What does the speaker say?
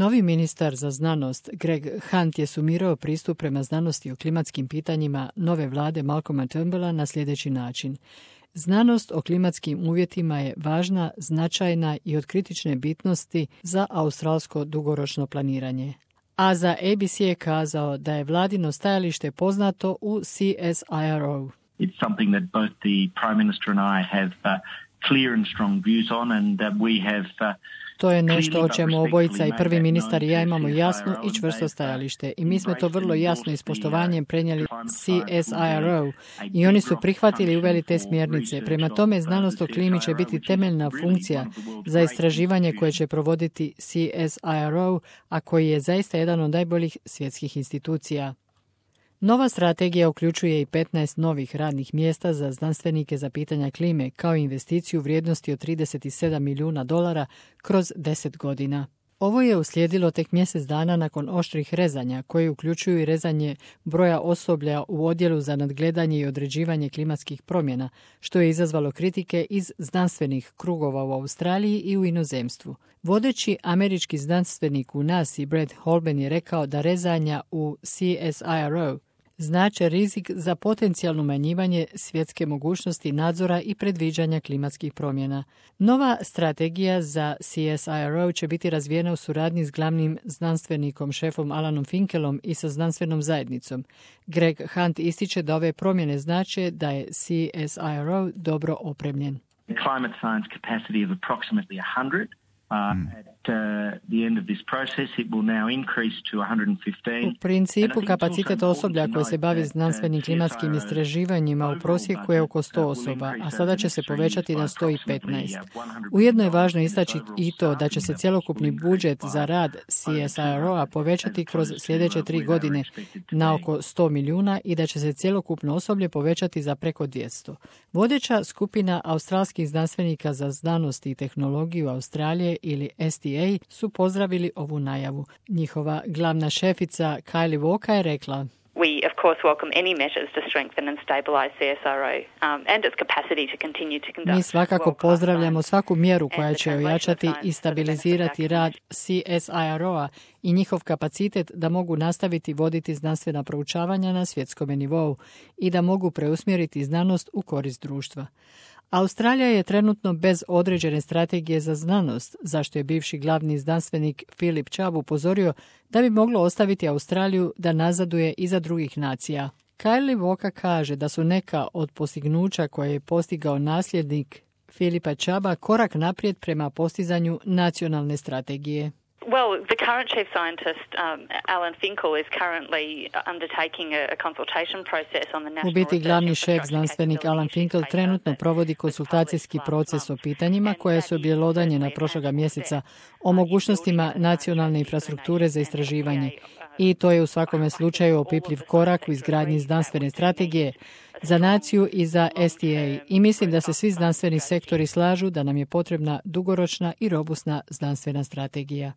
Novi ministar za znanost Greg Hunt je sumirao pristup prema znanosti o klimatskim pitanjima nove vlade Malcolma Turnbulla na sljedeći način. Znanost o klimatskim uvjetima je važna, značajna i od kritične bitnosti za australsko dugoročno planiranje. A za ABC je kazao da je vladino stajalište poznato u CSIRO. It's something that both the Prime Minister and I have clear and strong views on, and we have To je nešto o čemu obojica i prvi ministar i ja imamo jasno i čvrsto stajalište. I mi smo to vrlo jasno i s poštovanjem prenijeli CSIRO i oni su prihvatili i uveli te smjernice. Prema tome, znanost o klimi će biti temeljna funkcija za istraživanje koje će provoditi CSIRO, a koji je zaista jedan od najboljih svjetskih institucija. Nova strategija uključuje i 15 novih radnih mjesta za znanstvenike za pitanja klime, kao i investiciju vrijednosti od $37 milijuna kroz 10 godina. Ovo je uslijedilo tek mjesec dana nakon oštrih rezanja, koje uključuju i rezanje broja osoblja u odjelu za nadgledanje i određivanje klimatskih promjena, što je izazvalo kritike iz znanstvenih krugova u Australiji i u inozemstvu. Vodeći američki znanstvenik u NASA Brad Holben je rekao da rezanja u CSIRO znače rizik za potencijalno umanjivanje svjetske mogućnosti nadzora i predviđanja klimatskih promjena. Nova strategija za CSIRO će biti razvijena u suradnji s glavnim znanstvenikom šefom Alanom Finkelom i sa znanstvenom zajednicom. Greg Hunt ističe da ove promjene znače da je CSIRO dobro opremljen. Climate science capacity of approximately 100. At the end of this process, it will now increase to 115. U principu, kapacitet osoblja koji se bavi znanstvenim klimatskim istraživanjima u prosjeku je oko 100 osoba, a sada će se povećati na 115. Ujedno je važno istaći i to da će se cjelokupni budžet za rad CSIRO-a povećati kroz sljedeće 3 godine na oko 100 milijuna i da će se cjelokupno osoblje povećati za preko 200. Vodeća skupina australskih znanstvenika za znanost i tehnologiju Australije ili STA su pozdravili ovu najavu. Njihova glavna šefica Kylie Walker je rekla: We, of course, welcome any measures to strengthen and stabilize CSIRO and its capacity to continue to conduct. Mi svakako pozdravljamo svaku mjeru koja će ojačati i stabilizirati rad CSIRO-a i njihov kapacitet da mogu nastaviti voditi znanstvena proučavanja na svjetskom nivou i da mogu preusmjeriti znanost u korist društva. Australija je trenutno bez određene strategije za znanost, zašto je bivši glavni znanstvenik Philip Chubb upozorio da bi moglo ostaviti Australiju da nazaduje iza drugih nacija. Kylie Walker kaže da su neka od postignuća koje je postigao nasljednik Philipa Chubba korak naprijed prema postizanju nacionalne strategije. Well, the current chief scientist, Alan Finkel, is currently undertaking a consultation process on the national. U biti glavni šef znanstvenik Alan Finkel trenutno provodi konsultacijski proces o pitanjima koje su objelodanjena prošloga mjeseca o mogućnostima nacionalne infrastrukture za istraživanje. I to je u svakome slučaju opipljiv korak u izgradnji znanstvene strategije za naciju i za STA. I mislim da se svi znanstveni sektori slažu da nam je potrebna dugoročna i robustna znanstvena strategija.